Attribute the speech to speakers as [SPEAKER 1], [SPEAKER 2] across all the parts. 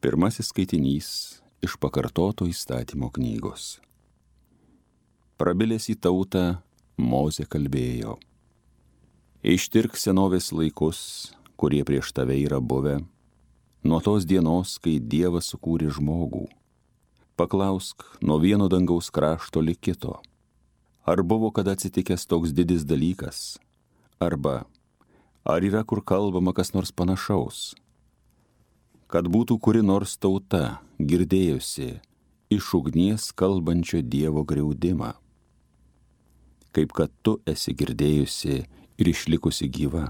[SPEAKER 1] Pirmasis skaitinys iš pakartoto įstatymo knygos. Prabilęs į tautą, Mozė kalbėjo: Ištirk senovės laikus, kurie prieš tave yra buvę, nuo tos dienos, kai Dievas sukūrė žmogų. Paklausk nuo vieno dangaus krašto lig kito. Ar buvo kada atsitikęs toks didis dalykas? Arba, ar yra kur kalbama kas nors panašaus? Kad būtų kuri nors tauta girdėjusi iš ugnies kalbančio Dievo griaudimą, kaip kad tu esi girdėjusi ir išlikusi gyva.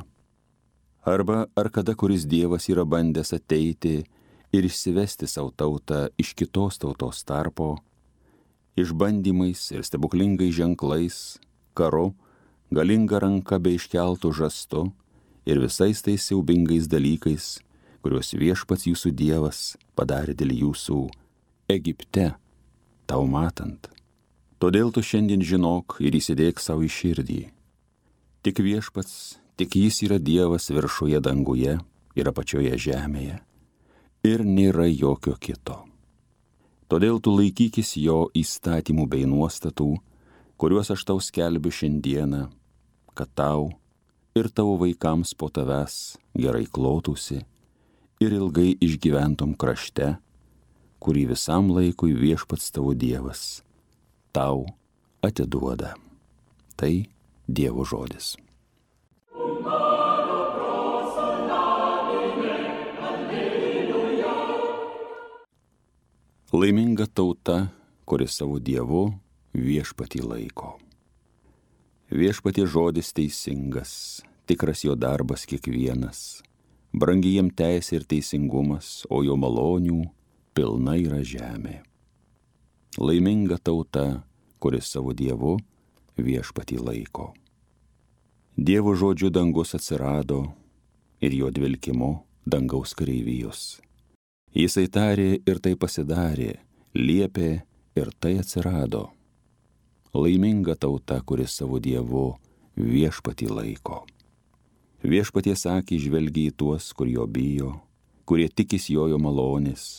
[SPEAKER 1] Arba ar kada kuris Dievas yra bandęs ateiti ir išsivesti savo tautą iš kitos tautos tarpo, išbandymais ir stebuklingais ženklais, karu, galinga ranka be iškeltų žastu ir visais tais siaubingais dalykais, kuriuos viešpats jūsų Dievas padarė dėl jūsų Egipte, tau matant. Todėl tu šiandien žinok ir įsidėk savo į širdį. Tik viešpats, tik jis yra Dievas viršuje danguje ir apačioje žemėje, ir nėra jokio kito. Todėl tu laikykis jo įstatymų bei nuostatų, kuriuos aš tau skelbiu šiandieną, kad tau ir tavo vaikams po tavęs gerai klotųsi ir ilgai išgyventum krašte, kurį visam laikui viešpats tavo Dievas tau atiduoda. Tai Dievo žodis. Laiminga tauta, kuri savo Dievu viešpatį laiko. Viešpatie žodis teisingas, tikras jo darbas kiekvienas, brangi jiem teisė ir teisingumas, o jo malonių pilna yra žemė. Laiminga tauta, kuris savo Dievu viešpatį laiko. Dievo žodžiu dangus atsirado ir jo dvelkimu dangaus kareivijos. Jisai tarė ir tai pasidarė, liepė ir tai atsirado. Laiminga tauta, kuris savo Dievu viešpatį laiko. Viešpaties akį žvelgia į tuos, kur jo bijo, kurie tikis jo malonės.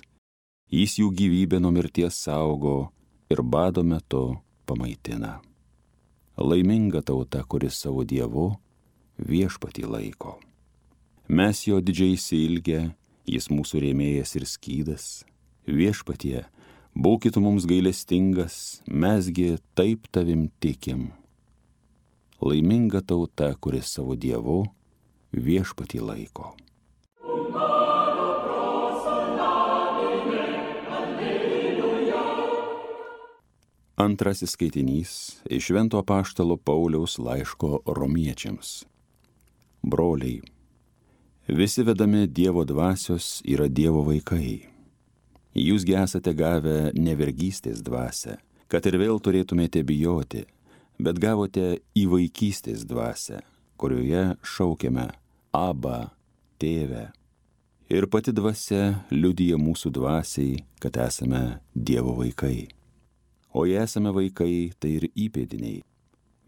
[SPEAKER 1] Jis jų gyvybę nuo mirties saugo ir bado metu pamaitina. Laiminga tauta, kuris savo Dievu viešpatį laiko. Mes jo didžiai išsiilgę, jis mūsų rėmėjas ir skydas. Viešpatie, būkit mums gailestingas, mesgi taip tavim tikim. Laiminga tauta, kuris savo Dievu viešpatį laiko. Antrasis skaitinys iš Švento apaštalo Pauliaus laiško Romiečiams. Broliai, visi vedami Dievo dvasios yra Dievo vaikai. Jūsgi esate gavę ne vergystės dvasią, kad ir vėl turėtumėte bijoti, bet gavote įvaikystės dvasią, kurioje šaukiame Abba, Tėve. Ir pati dvasia liudija mūsų dvasiai, kad esame Dievo vaikai. O jei esame vaikai, tai ir įpėdiniai.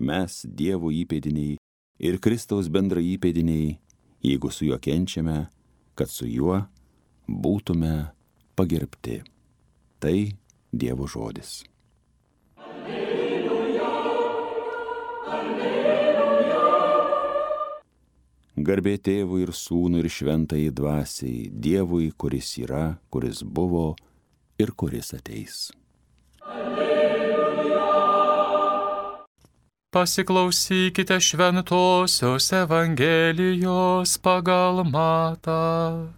[SPEAKER 1] Mes Dievo įpėdiniai ir Kristaus bendra įpėdiniai, jeigu su juo kenčiame, kad su juo būtume pagerbti. Tai Dievo žodis. Garbė Tėvui ir Sūnui ir Šventajai Dvasiai, Dievui, kuris yra, kuris buvo ir kuris ateis.
[SPEAKER 2] Pasiklausykite šventosios Evangelijos pagal Matą.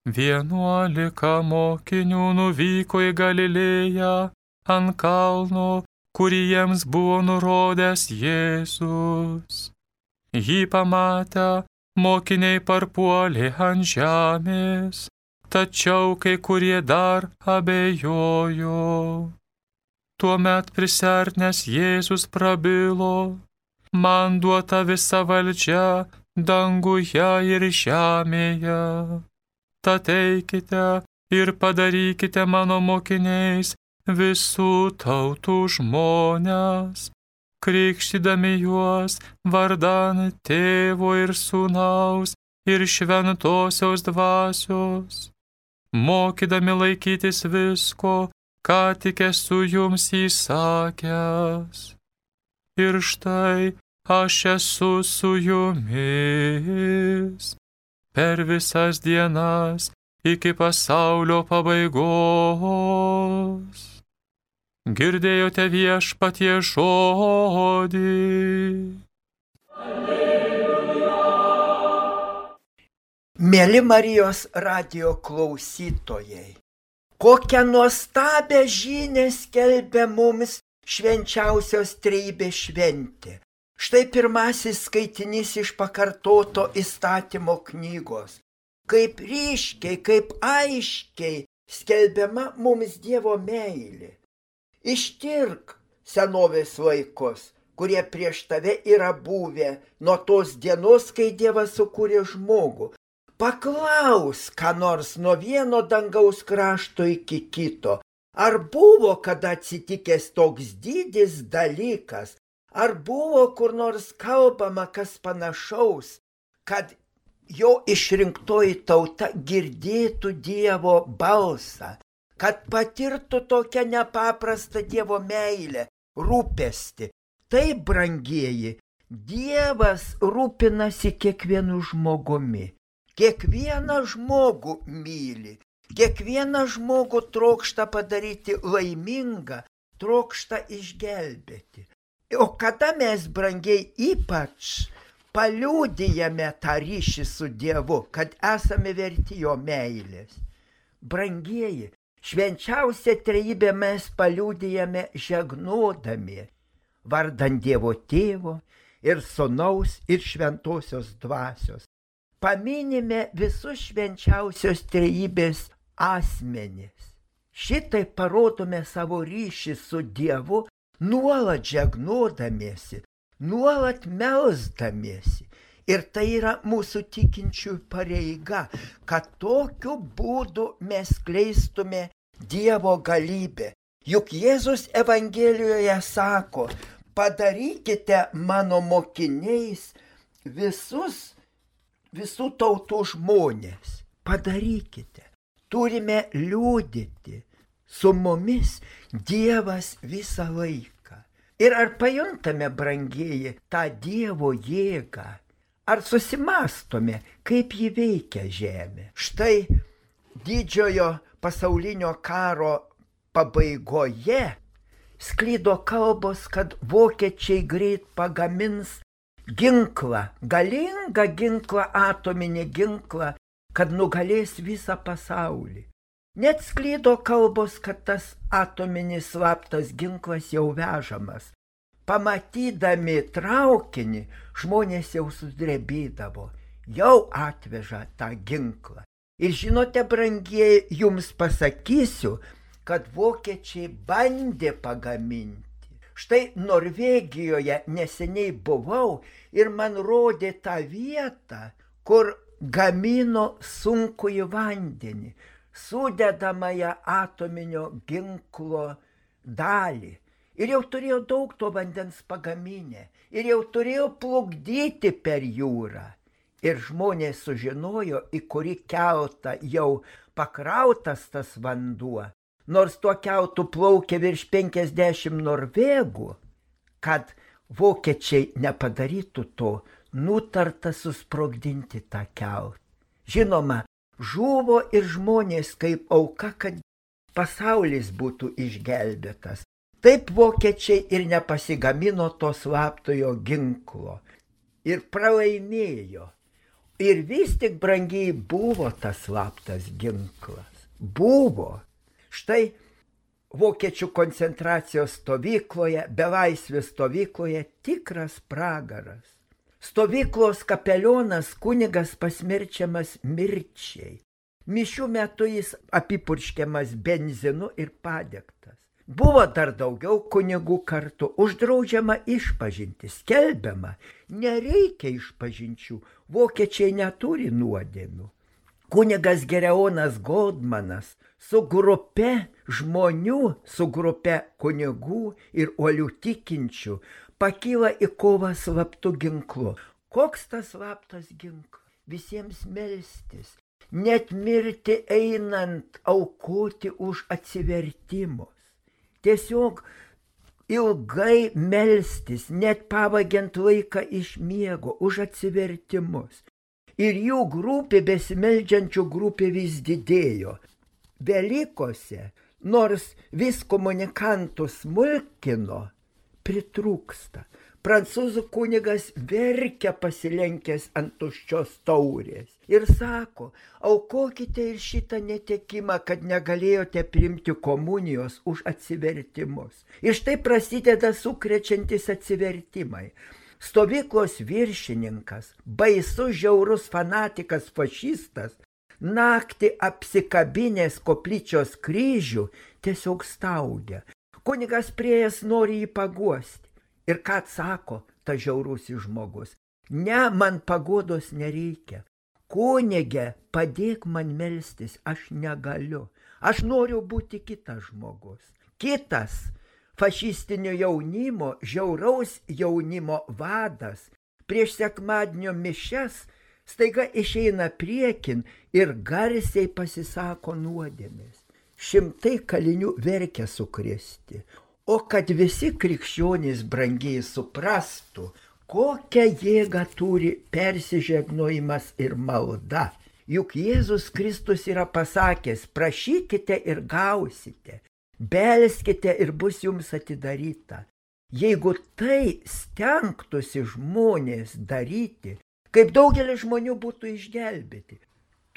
[SPEAKER 2] 11 mokinių nuvyko į Galilėją ant kalno, kurį jiems buvo nurodęs Jėzus. Jį pamatę, mokiniai parpuolė ant žemės, tačiau kai kurie dar abejojo. Tuomet prisiartinęs Jėzus prabilo: man duota visa valdžia danguje ir žemėje. Tad eikite ir padarykite mano mokiniais visų tautų žmones, krikštydami juos vardan Tėvo ir Sūnaus ir Šventosios Dvasios, mokydami laikytis visko, ką tik esu jums įsakęs. Ir štai aš esu su jumis per visas dienas iki pasaulio pabaigos. Girdėjote Viešpaties žodį.
[SPEAKER 3] Mėly Marijos radijo klausytojai, kokią nuostabią žinią skelbia mums švenčiausios trejybės šventė. Štai pirmasis skaitinys iš pakartoto įstatymo knygos. Kaip ryškiai, kaip aiškiai skelbiama mums Dievo meilė. Ištirk senovės laikus, kurie prieš tave yra buvę nuo tos dienos, kai Dievas sukūrė žmogų. Paklaus, ką nors nuo vieno dangaus krašto iki kito. Ar buvo kada atsitikęs toks didis dalykas? Ar buvo kur nors kalbama kas panašaus, kad jo išrinktoji tauta girdėtų Dievo balsą, kad patirtų tokią nepaprastą Dievo meilę, rūpestį? Taip, brangieji, Dievas rūpinasi kiekvienu žmogumi. Kiekvieną žmogų myli, kiekvieną žmogų trokšta padaryti laimingą, trokšta išgelbėti. O kada mes, brangiai, ypač paliudijame tą ryšį su Dievu, kad esame verti jo meilės? Brangieji, švenčiausią trejybę mes paliudijame žegnodami vardan Dievo Tėvo ir Sūnaus ir Šventosios Dvasios. Paminime visus švenčiausios trejybės asmenis. Šitai parodome savo ryšį su Dievu, nuolat žegnodamiesi, nuolat melsdamiesi. Ir tai yra mūsų tikinčių pareiga, kad tokiu būdu mes skleistume Dievo galybę. Juk Jėzus Evangelijoje sako, padarykite mano mokiniais visų tautų žmonės. Padarykite. Turime liudyti. Su mumis Dievas visą laiką. Ir ar pajuntame, brangieji, tą Dievo jėgą? Ar susimastome, kaip ji veikia žemė? Štai didžiojo pasaulinio karo pabaigoje sklido kalbos, kad vokiečiai greit pagamins ginklą, galingą ginklą, atominį ginklą, kad nugalės visą pasaulį. Net sklido kalbos, kad tas atominis slaptas ginklas jau vežamas. Pamatydami traukinį, žmonės jau sudrebėdavo, jau atveža tą ginklą. Ir žinote, brangieji, jums pasakysiu, kad vokiečiai bandė pagaminti. Štai Norvegijoje neseniai buvau ir man rodė tą vietą, kur gamino sunkųjį vandenį, sudedamąją atominio ginklo dalį. Ir jau turėjo daug to vandens pagaminę. Ir jau turėjo plukdyti per jūrą. Ir žmonės sužinojo, į kurį keltą jau pakrautas tas vanduo. Nors tuo keltu plaukė virš 50 norvegų, kad vokiečiai nepadarytų to, nutarta susprogdinti tą keltą. Žinoma, žuvo ir žmonės kaip auka, kad pasaulis būtų išgelbėtas. Taip vokiečiai ir nepasigamino to slaptojo ginklo ir pralaimėjo. Ir vis tik, brangiai, buvo tas slaptas ginklas. Buvo. Štai vokiečių koncentracijos stovykloje, belaisvės stovykloje tikras pragaras. Stovyklos kapelionas kunigas pasmerčiamas mirčiai. Mišių metu jis apipurškiamas benzinu ir padegtas. Buvo dar daugiau kunigų kartu, uždraudžiama išpažinti, skelbiama, nereikia išpažinčių, vokiečiai neturi nuodėmių. Kunigas Gereonas Goldmanas su grupe žmonių, su grupe kunigų ir uolių tikinčių pakyla į kovą slaptu ginklu. Koks tas slaptas ginklas? Visiems melstis, net mirti einant aukoti už atsivertimus. Tiesiog ilgai melstis, net pavagiant laiką iš miego, už atsivertimus. Ir jų grupė, besimeldžiančių grupė vis didėjo. Velykose, nors vis komunikantų smulkino, pritrūksta. Prancūzų kunigas verkia pasilenkęs ant tuščios taurės ir sako, aukokite ir šitą netekimą, kad negalėjote priimti komunijos už atsivertimus. Ir štai prasideda sukrečiantis atsivertimai. Stovyklos viršininkas, baisus žiaurus fanatikas fašistas, naktį apsikabinės koplyčios kryžių, tiesiog staugia. Kunigas prieėjęs nori jį paguosti. Ir ką atsako ta žiaurusis žmogus? Ne, man paguodos nereikia. Kunige, padėk man melstis, aš negaliu. Aš noriu būti kitas žmogus. Kitas fašistinio jaunimo, žiauraus jaunimo vadas prieš sekmadienio mišias staiga išeina priekin ir garsiai pasisako nuodėmės. Šimtai kalinių verkia sukrėsti. O kad visi krikščionys brangiai suprastų, kokią jėgą turi persižegnojimas ir malda. Juk Jėzus Kristus yra pasakęs, prašykite ir gausite, belskite ir bus jums atidaryta. Jeigu tai stengtųsi žmonės daryti, kaip daugelis žmonių būtų išgelbėti.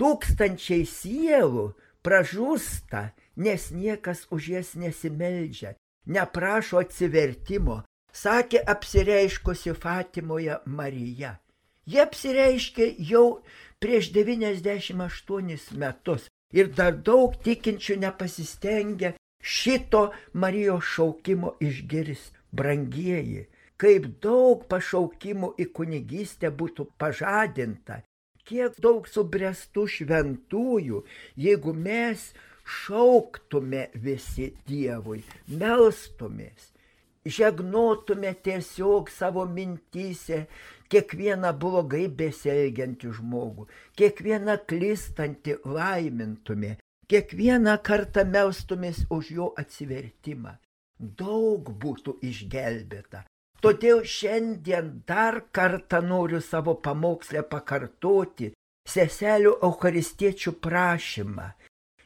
[SPEAKER 3] Tūkstančiai sielų pražūsta, nes niekas už jas nesimeldžia, neprašo atsivertimo, sakė apsireiškusi Fatimoje Marija. Jie apsireiškė jau prieš 98 metus ir dar daug tikinčių nepasistengia šito Marijos šaukimo išgirsti. Brangieji, kaip daug pašaukimų į kunigystę būtų pažadinta, kiek daug subręstų šventųjų, jeigu mes šauktume visi Dievui, melstumės, žegnotume tiesiog savo mintyse kiekvieną blogai besielgiantį žmogų, kiekvieną klystantį laimintume, kiekvieną kartą melstumės už jo atsivertimą. Daug būtų išgelbėta. Todėl šiandien dar kartą noriu savo pamokslę pakartoti seselių eucharistiečių prašymą.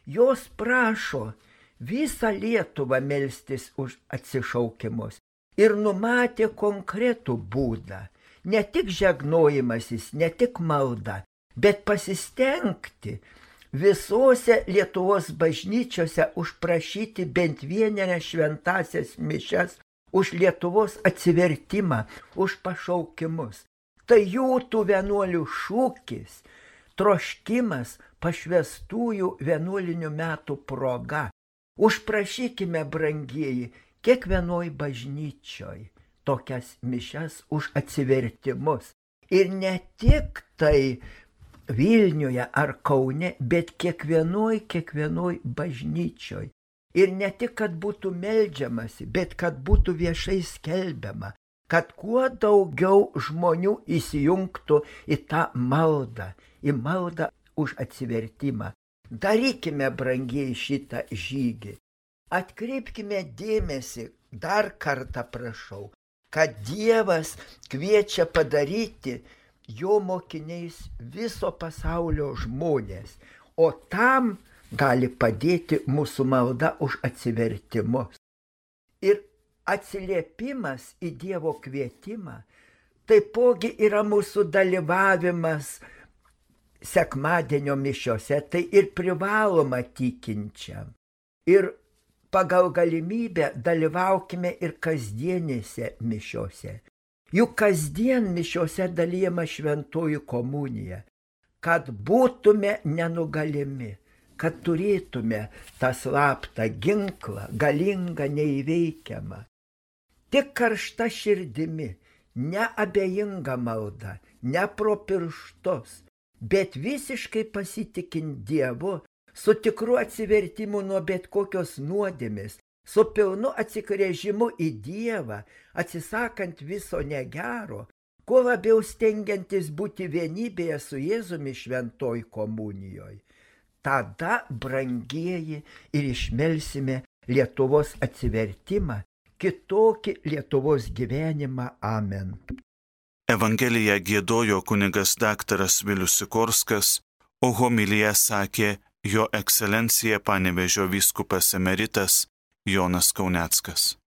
[SPEAKER 3] Jos prašo visą Lietuvą melstis už atsišaukimus ir numatė konkretų būdą. Ne tik žegnojimasis, ne tik malda, bet pasistengti visose Lietuvos bažnyčiose užprašyti bent vienerias šventasias mišias už Lietuvos atsivertimą, už pašaukimus. Tai jų tų vienuolių šūkis, troškimas pašvestųjų vienuolinių metų proga. Užprašykime, brangieji, kiekvienoj bažnyčioj tokias mišias už atsivertimus. Ir ne tik tai Vilniuje ar Kaune, bet kiekvienoj bažnyčioj. Ir ne tik, kad būtų meldžiamasi, bet kad būtų viešai skelbiama, kad kuo daugiau žmonių įsijungtų į tą maldą, į maldą už atsivertimą. Darykime, brangieji, šitą žygį. Atkreipkime dėmesį, dar kartą prašau, kad Dievas kviečia padaryti jo mokiniais viso pasaulio žmonės, o tam gali padėti mūsų malda už atsivertimus. Ir atsiliepimas į Dievo kvietimą taipogi yra mūsų dalyvavimas sekmadienio mišiose, tai ir privaloma tikinčiam. Ir pagal galimybę dalyvaukime ir kasdienėse mišiose. Juk kasdien mišiose dalijama šventoji komunija, kad būtume nenugalimi, kad turėtume tą slaptą ginklą, galingą, neįveikiamą. Tik karšta širdimi, neabejinga malda, ne pro pirštus, bet visiškai pasitikint Dievu, su tikru atsivertimu nuo bet kokios nuodėmės, su pilnu atsigręžimu į Dievą, atsisakant viso negero, kuo labiau stengiantis būti vienybėje su Jėzumi šventoj komunijoje, tada, brangieji, ir išmelsime Lietuvos atsivertimą, kitokį Lietuvos gyvenimą. Amen.
[SPEAKER 4] Evangeliją giedojo kunigas daktaras Vilius Sikorskas, o homiliją sakė jo ekscelencija Panevėžio vyskupas emeritas Jonas Kauneckas.